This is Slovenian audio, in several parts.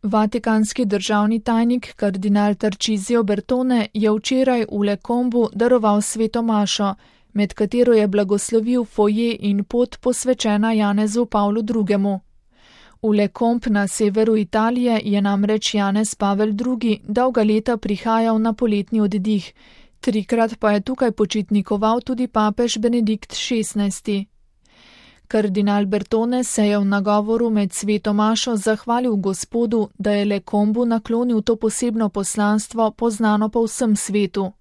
Vatikanski državni tajnik kardinal Tarcisio Bertone je včeraj v Le Combu daroval sveto mašo, med katero je blagoslovil foje in pot posvečena Janezu Pavlu II. V Le Combe na severu Italije je namreč Janez Pavel II. Dolga leta prihajal na poletni oddih, 3-krat pa je tukaj počitnikoval tudi papež Benedikt XVI. Kardinal Bertone se je v nagovoru med sveto mašo zahvalil Gospodu, da je Le Combu naklonil to posebno poslanstvo poznano po vsem svetu.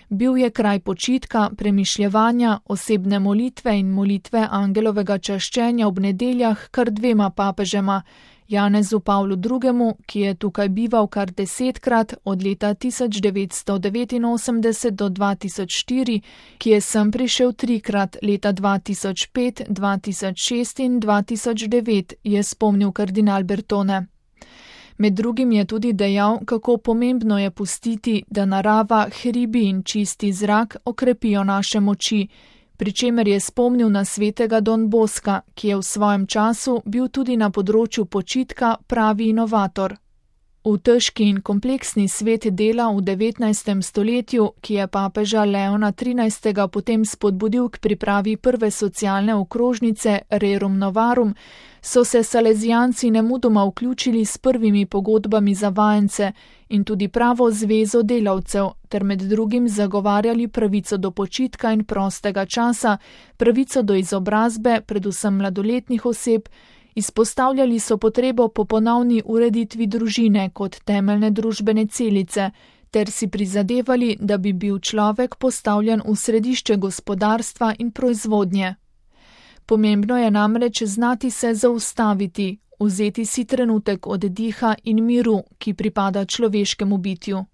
Bil je kraj počitka, premišljevanja, osebne molitve in molitve angelovega čaščenja ob nedeljah kar 2 papežema, Janezu Pavlu II., ki je tukaj bival kar 10-krat od leta 1989 do 2004, ki je sem prišel 3-krat leta 2005, 2006 in 2009, je spomnil kardinal Bertone. Med drugim je tudi dejal, kako pomembno je pustiti, da narava, hribi in čisti zrak okrepijo naše moči, pri čemer je spomnil na svetega Don Boska, ki je v svojem času bil tudi na področju počitka pravi inovator. V težki in kompleksni svet dela v 19. stoletju, ki je papeža Leona XIII. Potem spodbudil k pripravi prve socialne okrožnice Rerum Novarum, so se salezijanci nemudoma vključili s prvimi pogodbami za vajence in tudi pravo zvezo delavcev, ter med drugim zagovarjali pravico do počitka in prostega časa, pravico do izobrazbe, predvsem mladoletnih oseb, izpostavljali so potrebo po ponovni ureditvi družine kot temeljne družbene celice, ter si prizadevali, da bi bil človek postavljen v središče gospodarstva in proizvodnje. Pomembno je namreč znati se zaustaviti, vzeti si trenutek oddiha in miru, ki pripada človeškemu bitju.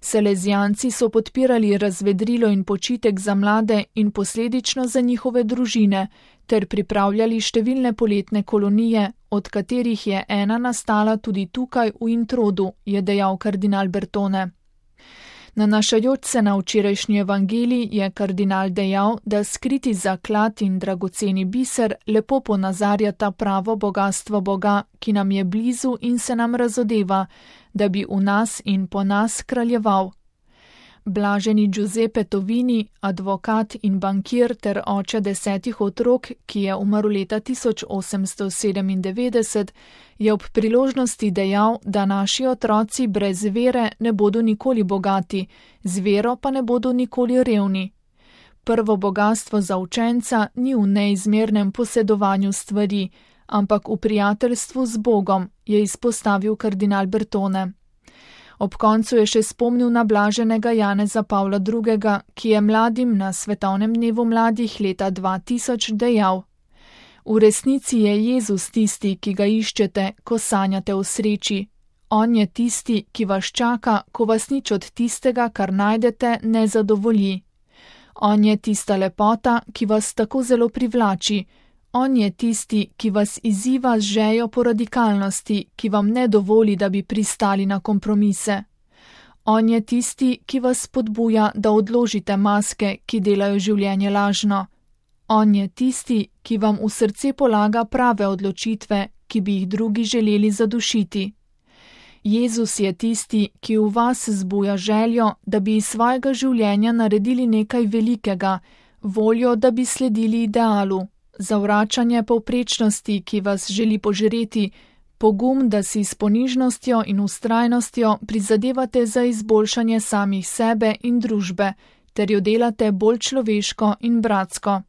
Salezijanci so podpirali razvedrilo in počitek za mlade in posledično za njihove družine, ter pripravljali številne poletne kolonije, od katerih je ena nastala tudi tukaj v Introdu, je dejal kardinal Bertone. Nanašajoč se na včerajšnji evangelij je kardinal dejal, da skriti zaklad in dragoceni biser lepo ponazarjata pravo bogastvo Boga, ki nam je blizu in se nam razodeva, da bi v nas in po nas kraljeval. Blaženi Giuseppe Tovini, advokat in bankir ter oče 10 otrok, ki je umrl leta 1897, je ob priložnosti dejal, da naši otroci brez vere ne bodo nikoli bogati, z vero pa ne bodo nikoli revni. Prvo bogastvo za učenca ni v neizmernem posedovanju stvari, ampak v prijateljstvu z Bogom, je izpostavil kardinal Bertone. Ob koncu je še spomnil na blaženega Janeza Pavla II., ki je mladim na svetovnem dnevu mladih leta 2000 dejal: V resnici je Jezus tisti, ki ga iščete, ko sanjate o sreči. On je tisti, ki vas čaka, ko vas nič od tistega, kar najdete, ne zadovolji. On je tista lepota, ki vas tako zelo privlači. On je tisti, ki vas izziva z željo po radikalnosti, ki vam ne dovoli, da bi pristali na kompromise. On je tisti, ki vas spodbuja, da odložite maske, ki delajo življenje lažno. On je tisti, ki vam v srce polaga prave odločitve, ki bi jih drugi želeli zadušiti. Jezus je tisti, ki v vas zbuja željo, da bi iz svojega življenja naredili nekaj velikega, voljo, da bi sledili idealu. Zavračanje povprečnosti, ki vas želi požreti, pogum, da si s ponižnostjo in vztrajnostjo prizadevate za izboljšanje samih sebe in družbe, ter jo delate bolj človeško in bratsko.